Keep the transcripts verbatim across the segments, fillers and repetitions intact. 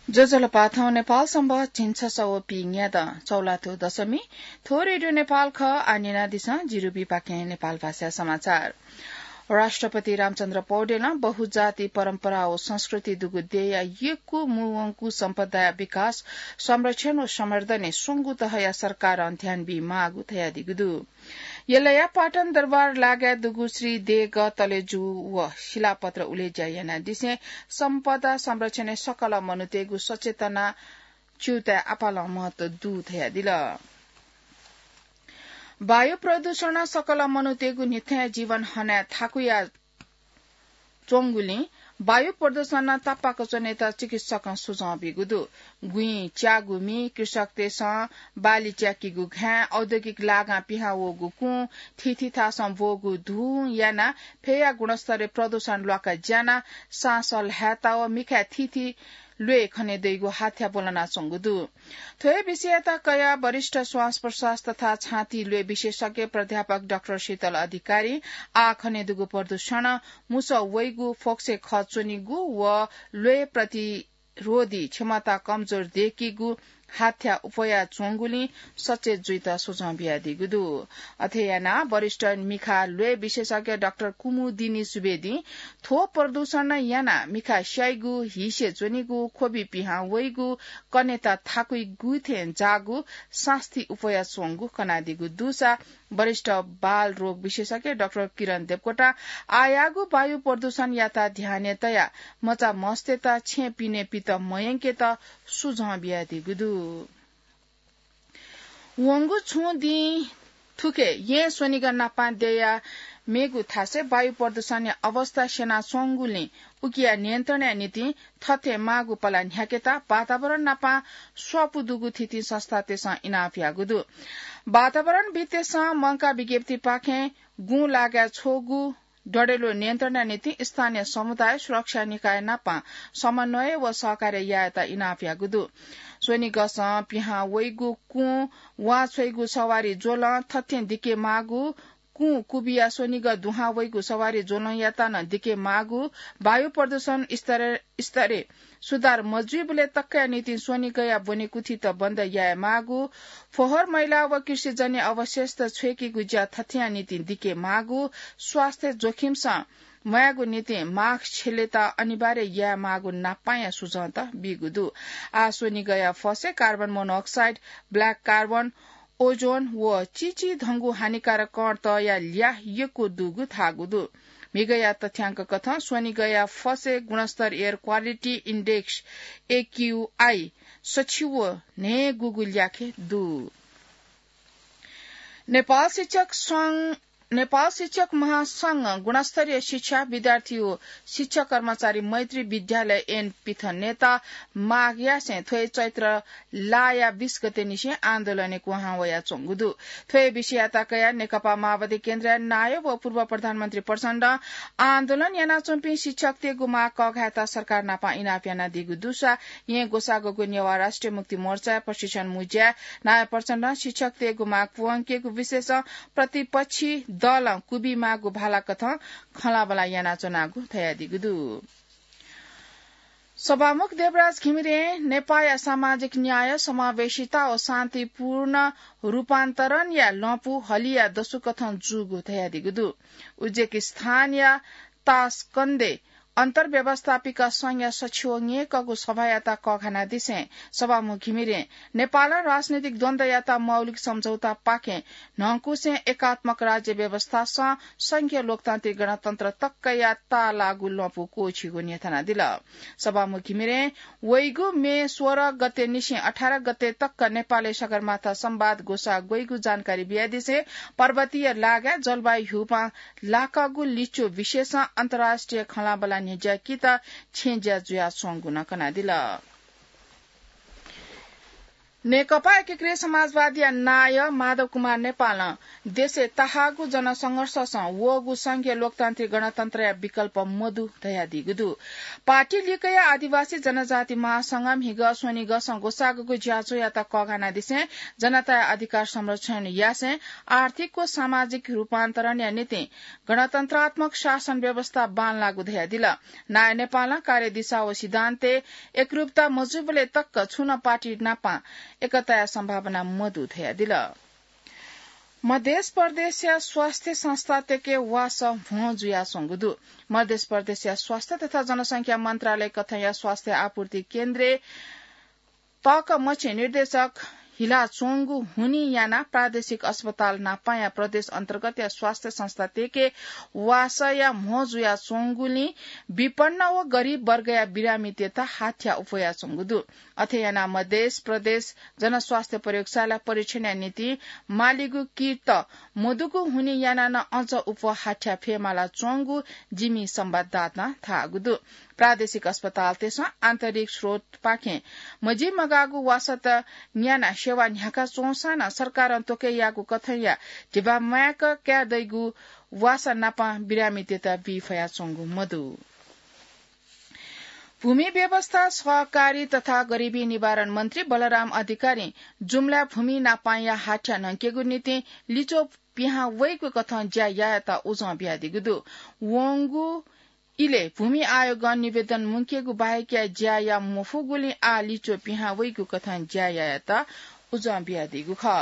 ज्वजलपा, थौं नेपाल संवत् झिंछसः व पीन्यादँ चौलाथ्व दशमी। थ्व रेडियो नेपाल खः। आः न्यनादिसँ जिरुबीपाखें नेपाल भाषा समाचार। राष्ट्रपति रामचन्द्र पौडेलं बहुजाति परम्परा व संस्कृति दुगु देय्‌या यक्व मू वंगु सम्पदाया विकास, संरक्षण व संवर्धनय् स्वंगू तहया सरकारं ध्यान बीमाःगु धयादीगु दु। यलया पाटन दरबार लागाय् दुगु श्री देगः तलेजु व शिलापत्र उलेज्या यानादिसें सम्पदा संरक्षणय् सकल मनूतय्‌गु सचेतना च्यूताय् आपालं महत्व दु धयादिल। वायु प्रदूषणं सकल मनूतय्‌गु न्हिथय् जीवन हनाय् थाकुया च्वंगुलिं वायु प्रदूषणं तापाक च्वनेत चिकित्सकं सुझाव बीगु दु। गुँइ च्याःगु मि, कृषकतय्‌सं बाली च्याकीगु घाँय्, औद्योगिक लागां पिहां वःगु कुँ, थीथी थासं ब्वःगु धुँ यानाः फय्‌या गुणस्तरय् प्रदूषण ल्वाका ज्यानाः साँस ल्हायेत व मिखाय् थीथी ल्वय् खने दइगु हाथ्या ब्वलनाच्वंगु दु। थ्व हे विषययात कयाः वरिष्ठ श्वास प्रश्वास तथा छाती ल्वय् विशेषज्ञ प्राध्यापक डाक्टर शीतल अधिकारीं आः खने दुगु प्रदूषणं मुसः वइगु, फोक्सय् खः च्वनीगु व ल्वय् प्रतिरोधी क्षमता कमजोर दय्‌कीगु हाथ्या उफयाच्वंगुलिं सचेत जुइत सुझाव बियादीगु दु। अथे यानाः वरिष्ठ मिखा ल्वय् विशेषज्ञ डाक्टर कुमुदिनी सुवेदीं थ्व प्रदूषणं यानाः मिखा स्याइगु, हिसे च्वनीगु, ख्वबि पिहां वइगु, कनेत थाकुइगु थें जाःगु, सास्ती उफयाच्वंगु कनादीगु दुसा वरिष्ठ बाल रोग विशेषज्ञ डाक्टर किरण देवकोटां आःयाःगु वायु प्रदूषणयात ध्यानय् तयाः मचा मस्तय्‌त छेँ पिने पित मयंकेत सुझाव बियादीगु दु। वंगु छुं दिं थुखे येँ स्वनिगः नापं देय्‌या मेगु थासय् वायु प्रदूषणया अवस्था स्यनाच्वंगुलिं उकिया नियन्त्रणया निंतिं थथे माःगु पला न्ह्याकेत वातावरण नापं स्वापू दुगु थीथी संस्थातय्‌सं इनाप याःगु दु। वातावरणविद्तय्‌सं मंकाः विज्ञप्तिपाखें गुँ लागाय् छ्वःगु डडेलु नियन्त्रणया निंतिं स्थानीय समुदाय सुरक्षा निकाय नापं समन्वय व सहकार्य यायेत इनाप याःगु दु। स्वनिगसं पिहां वइगु कुँ, वांछ्वइगु सवारी ज्वलं थथें दिके माःगु, कुँ कुबिया स्वनिगः दुहां वइगु सवारी ज्वलंयात नं दिके माःगु, वायु प्रदूषण स्तर, स्तरय् सुधार मजुइबलय् तकया निंतिं स्वनिगःया ब्वनेकुथित बन्द याये माःगु, फोहोर मैला व कृषिजन्य अवशेषत छ्वय्‌केगु ज्या थथेया निंतिं दिके माःगु, स्वास्थ्य जोखिमसं म्वायेगु निंतिं मास्क छ्यलेत अनिवार्य याये माःगु नापांया सुझावत बीगु दु। आः स्वनिगःया फसय् carbon monoxide, black carbon, ozone व चिचिधंगु हानिकारक कणतया ल्याः यक्व दुगु धाःगु दु। म्हिगःया तथ्यांक कथं स्वनिगःया फसय् गुणस्तर एयर क्वालिटी इन्डेक्स, एक्यूआई, सछि व न्हय्‌गूगु ल्याखय् दु। नेपाल शिक्षक संघ, नेपाल शिक्षक महासंघं गुणस्तरीय शिक्षा, विद्यार्थी व शिक्षक कर्मचारी मैत्री विद्यालय ऐन पिथनेत माग यासें थ्व हे चैत्र लाया बीस गते निसें आन्दोलनय् क्वहां वयाच्वंगु दु। थ्व हे विषययात कयाः नेकपा माओवादी केन्द्रया नायः व पूर्व प्रधानमन्त्री प्रचण्डं आन्दोलन यानाच्वंपिं शिक्षकतय्‌गु माग कःघायेत सरकार नाप इनाप यानादीगु दुसा येँ ग्वसाःग्वःगु नेवाः राष्ट्रिय मुक्ति मोर्चाया प्रशिक्षण मुँज्याय् नायः प्रचण्डं शिक्षकतय्‌गु माग पूवंकेगु विषयसं प्रतिपक्षी दलं कुबी माःगु भाला कथं खँल्हाबल्हा यानाच्वनागु धयादीगु दु। सभामुख देवराज घिमिरें नेपाःया सामाजिक न्याय, समावेशिता व शान्तिपूर्ण रूपान्तरणया लँपु हलिया दसुकथं जूगु धयादीगु दु। उज्बेकिस्तानया तासकन्दय् अन्तर्व्यवस्थापिका संघया सछि व न्यय्‌कःगु सभायात कःघानादिसें सभामुख घिमिरें नेपालं राजनैतिक द्वन्द्वयात मौलिक सम्झौतापाखें न्हंकुसें एकात्मक राज्य व्यवस्थासं संघीय लोकतान्त्रिक गणतन्त्र तकया ताःलाःगु लँपु क्वःछिगु न्ह्यथनादिल। सभामुख घिमिरें वइगु मे सोह्र गते निसें अठार गते तक नेपालय् सगरमाथा संवाद ग्वसाः ग्वइगु जानकारी बियादिसें पर्वतीय लागाय् जलवायु ह्यूपाँ लाकःगु लिच्वः विषयसं अन्तर्राष्ट्रिय खँल्हाबल्हा न्ह्यज्याकीत छेँज्या जुयाच्वंगु नं कनादिल। नेकपा एकीकृत समाजवादीया नायः माधव कुमार नेपालं देशय् तःहाःगु जनसंघर्षसं वःगु संघीय लोकतान्त्रिक गणतन्त्रया विकल्प मदु धयादीगु दु। पार्टी लिक्कया आदिवासी जनजाति महासंघं म्हिगः स्वनिगःसं ग्वसाःगु ज्याझ्वःयात कःघानादिसें जनताया अधिकार संरक्षण यासें आर्थिक व सामाजिक रूपान्तरणया निंतिं गणतन्त्रात्मक शासन व्यवस्था बांलाःगु धयादिल। नायः नेपालं कार्यदिशा व सिद्धान्तय् एकरूपता मजूबलय् तक छुं नं पार्टी नापं एकताया सम्भावना मदु धयादिल। मधेस प्रदेशया स्वास्थ्य संस्थातय्के वासः भ्वं जुयाच्वंगु दु। मधेस प्रदेशया स्वास्थ्य तथा जनसंख्या मन्त्रालय कथंया स्वास्थ्य आपूर्ति केन्द्रय् तःकःमछि निर्देशक हिलाच्वंगु हुनिं यानाः प्रादेशिक अस्पताल नापंया प्रदेश अन्तर्गतया स्वास्थ्य संस्थातय्के वासःया भ्वं जुयाच्वंगुलिं विपन्न व गरिब वर्गया बिरामीतय्त हाथ्या उफयाच्वंगु दु। अथे यानाः मधेस प्रदेश जनस्वास्थ्य प्रयोगशाला परीक्षणया निंतिं मालीगु किट मदुगु हुनिं यानाः नं अझ उफः हाथ्या फयेमालाच्वंगु जिमि संवाददातां धाःगु दु। प्रादेशिक अस्पतालतय्सं आन्तरिक स्रोतपाखें मजिमगाःगु वासःत न्यानाः सेवा न्ह्याकाच्वंसां नं सरकारं त्वकय्याःगु कथंया धिबा म्वायेक कायेदइगु वासः नापं बिरामीतय्त बी फयाच्वंगु मदु। भूमि व्यवस्था, सहकारी तथा गरिबी निवारण मन्त्री बलराम अधिकारीं जुम्ला भूमि नापंया हाथ्या न्हंकेगु निंतिं लिच्वः पिहां वइगु कथं ज्या यायेत उजं बियादीगु दु। वंगु इलय् भूमि आयोगं निवेदन मुंकेगु बाहेकया ज्या याये मफुगुलिं आः लिच्वः पिहां वइगु कथं ज्या यायेत उजं बियादीगु खः।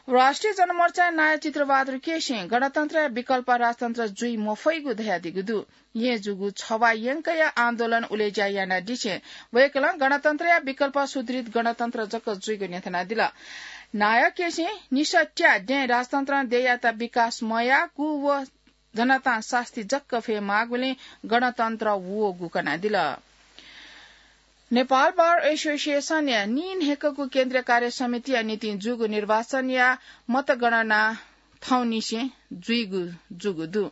राष्ट्रिय जनमोर्चाया नायः चित्रबहादुर केसीं गणतन्त्रया विकल्प राजतन्त्र जुइ मफइगु धयादीगु दु। येँ जूगु छवाः यंकया आन्दोलन उलेज्या यानादिसें वय्कलं गणतन्त्रया विकल्प सुदृढ गणतन्त्र जक जुइगु न्ह्यथनादिल। नायः केसीं निसत्या दँय् राजतन्त्रं देय्यात विकास मयाःगु व जनतां सास्ती जक फयेमाःगुलिं गणतन्त्र वःगु कनादिल। नेपाल बार एसोसिएसनया नीन्हय्कःगु केन्द्रीय कार्य समितिया निंतिं जूगु निर्वाचनया मतगणना थौंनिसें जुइगु जूगु दु।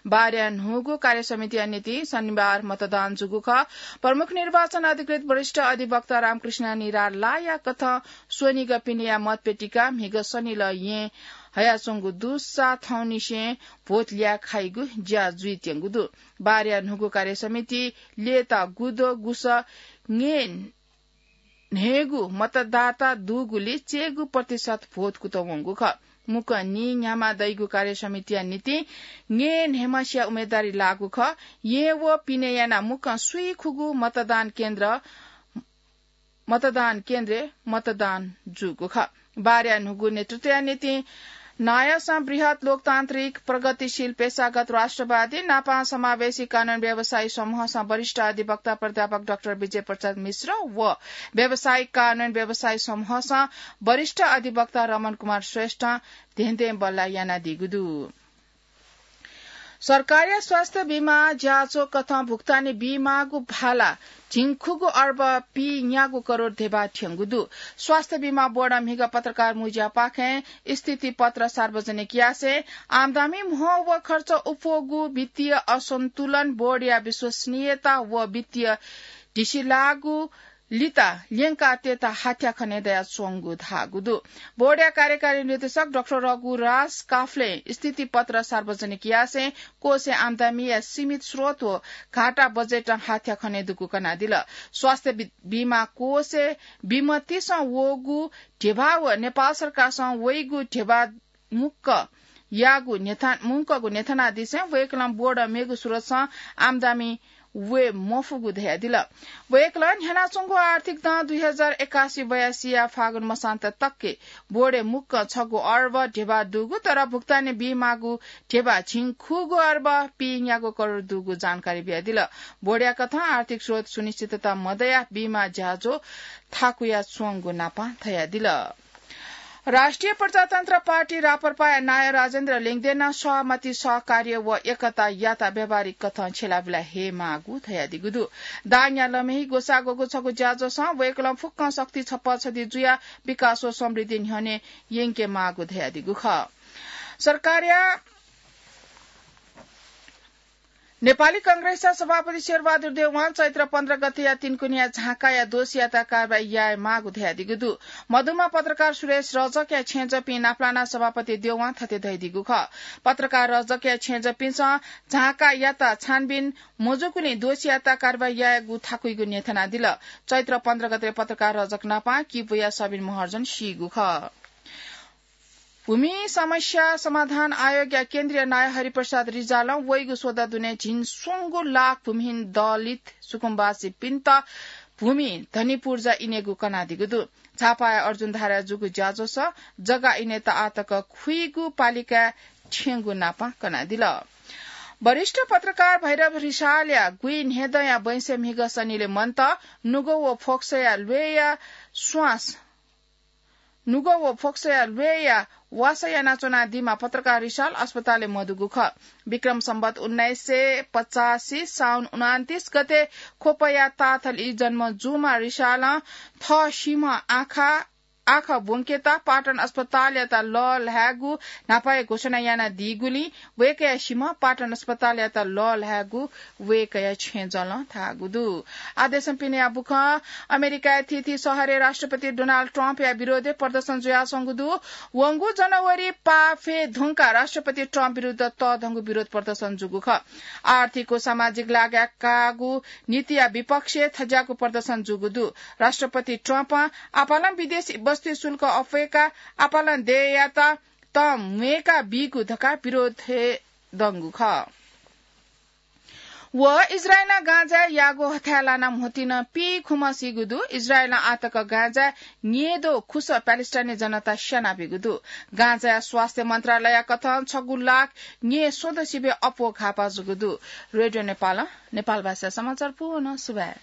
बारया न्हूगु कार्य समितिया निंतिं शनिबार मतदान जूगु खः। प्रमुख निर्वाचन अधिकृत वरिष्ठ अधिवक्ता रामकृष्ण निरालाया कथं स्वनिगः पिनेया मतपेटिका म्हिगः शनिलः येँ हयाच्वंगु दुसा थौंनिसें भोट ल्याखाइगु ज्या जुइत्यंगु दु। बारया न्हूगु कार्य समिति ल्यय्ता गुद्वः गुसः न्हय् न्हय्गू मतदाता दुगुलिं चय्गू प्रतिशत भोट कुतः वंगु खः। मुक्कं नीन्ह्यामा दइगु कार्य समितिया निंतिं न्हय् न्हय्म्हसिया उम्मेदवारी लाःगु खः। येँ व पिने यानाः मुक्कं स्वीखुगू मतदान केन्द्र, मतदान केन्द्रय् मतदान जूगु खः। बारया न्हूगु नेतृत्वया निंतिं नायःसं बृहत् लोकतान्त्रिक प्रगतिशील पेशागत राष्ट्रवादी नापं समावेशी कानून व्यवसायी समूहसं वरिष्ठ अधिवक्ता प्राध्यापक डाक्टर विजय प्रसाद मिश्र व व्यावसायिक कानून व्यवसायी समूहसं वरिष्ठ अधिवक्ता रमण कुमार श्रेष्ठं धेंधें बल्लाः यानादीगु दु। सरकारया स्वास्थ्य बीमा ज्याझ्वः कथं भुक्तानी बीमाःगु भाला झिंखुगू अर्ब पीन्यागू करोड धेबा थ्यंगु दु। स्वास्थ्य बीमा बोर्डं म्हिगः पत्रकार मुँज्यापाखें स्थिति पत्र सार्वजनिक यासें आम्दानी म्हो व खर्च उप्वःगु वित्तीय असन्तुलन, बोर्डया विश्वसनीयता व वित्तीय ढिसिलाःगु लिता ल्यंकातयेत हाथ्या खने दयाच्वंगु धाःगु दु। बोर्डया कार्यकारी निर्देशक डाक्टर रघुराज काफ्लें स्थिति पत्र सार्वजनिक यासें कोषय् आम्दानीया सीमित स्रोत व घाटा बजेटं हाथ्या खने दुगु कनादिल। स्वास्थ्य बि-, बीमा कोषय् बिमतिसं वःगु धेबा व नेपाल सरकारसं वइगु धेबा मुक्कयागु न्ह्यथना-, मुंकःगु न्ह्यथनादिसें वय्कलं बोर्डं मेगु स्रोतसं आम्दानी वये मफुगु धयादिल। वय्कलं न्ह्यानाच्वंगु आर्थिक दँ दुई हजार एकासी बयासीया फागुन मसान्त तकय् बोर्डय् मुक्कं छगू अर्ब धेबा दुगु, तर भुक्तानी बीमाःगु धेबा झिंखुगू अर्ब पीन्यागू करोड दुगु जानकारी बियादिल। बोर्डया कथं आर्थिक स्रोत सुनिश्चितता मदयाः बीमा ज्याझ्वः थाकुयाच्वंगु नापं धयादिल। राष्ट्रिय प्रजातन्त्र पार्टी राप्रपाया नायः राजेन्द्र लिङदेनं सहमति, सहकार्य व एकता यात व्यावहारिक कथं छ्यलाबिला हयेमाःगु धयादीगु दु। दाङया लमही ग्वसाः ग्वःगु छगू ज्याझ्वलय् वय्कलं फुक्कं शक्ति छप्पँ छधी जुयाः विकास व समृद्धि न्ह्यःने यंकेमाःगु धयादीगु खः। सरकारया नेपाली कांग्रेसया सभापति शेरबहादुर देउवां चैत्र पन्ध्र गतेया तिनकुनिया झाँकाया दोषीयात कारवाही याये माःगु धयादीगु दु। मधुमा पत्रकार सुरेश रजकया छेँजःपिं नापलाना सभापति देउवां थथे धयादीगु खः। पत्रकार रजकया छेँजःपिन्सं झाँकायात छानबिन मजूगुलिं दोषीयात कारवाही यायेगु थाकुइगु न्ह्यथनादिल। चैत्र पन्ध्र गते पत्रकार रजक नापं किपूया सबिन महर्जन सीगु खः। भूमि समस्या समाधान आयोगया केन्द्रीय नायः हरिप्रसाद रिजालं वइगु स्वदा दुने झिंस्वंगू लाख भूमिहीन दलित सुकुम्बासीपिन्त भूमि धनी पूर्जा इनेगु कनादीगु दु। झापाया अर्जुनधाराय् जूगु ज्याझ्वलय् जग्गा इनेत आःतक खुइगू पालिकाय् थ्यंगु नापं कनादिल। वरिष्ठ पत्रकार भैरव रिसालया गुइन्हेदँया बैंसे म्हिगः सनिलय् मन्त नुगः व फोक्सया ल्वय्‌या स्वास नुगः व फोक्सया ल्वय्‌या वासः यानाच्वनादीम्ह पत्रकार रिसाल अस्पतालय् मदुगु खः। विक्रम सम्बत उन्नाइस सय पचासी साउन उनान्तिस गते ख्वपया ताथली जन्म जूम्ह रिसालं थः सीम्ह आँखा, आँखा ब्वंकेत पाटन अस्पतालयात लःल्हायेगु न्हापाया घोषणा यानादीगुलिं वय्‌कःया सीम्ह पाटन अस्पतालयात लःल्हायेगु वय्‌कःया छेँजलं धाःगु दु। आदेशं पिनेया बुखँ अमेरिकाया थीथी शहरय् राष्ट्रपति डोनाल्ड ट्रम्पया विरोधय् प्रदर्शन जुयाच्वंगु दु। वंगु जनवरी पाफे धुंकाः राष्ट्रपति ट्रम्प विरुद्ध तःधंगु विरोध प्रदर्शन जूगु खः। आर्थिक व सामाजिक लागाय् काःगु नीतिया विपक्षय् थज्याःगु प्रदर्शन जूगु दु। राष्ट्रपति ट्रम्पं आपालं विदेशी बस्ती शुल्क अप्वय्‌काः आपालं देय्‌यात तं म्वय्‌का बीगु धकाः विरोधय् दंगु खः। व इजरायलं गाँजाय् याःगु हथाय् लानाः म्होतिं पीखुम्ह सीगु दु। इजरायलं आःतक गाँजाय् न्येदँ खुसः प्यालेस्टाइनी जनता स्यानाबीगु दु। गाँजाया स्वास्थ्य मन्त्रालयया कथं छगू लाख न्येस्वदँ सिबय् अप्वः घाःपाः जूगु दु। रेडियो नेपालं नेपाल भाषा समाचार पूवं सुभाय्।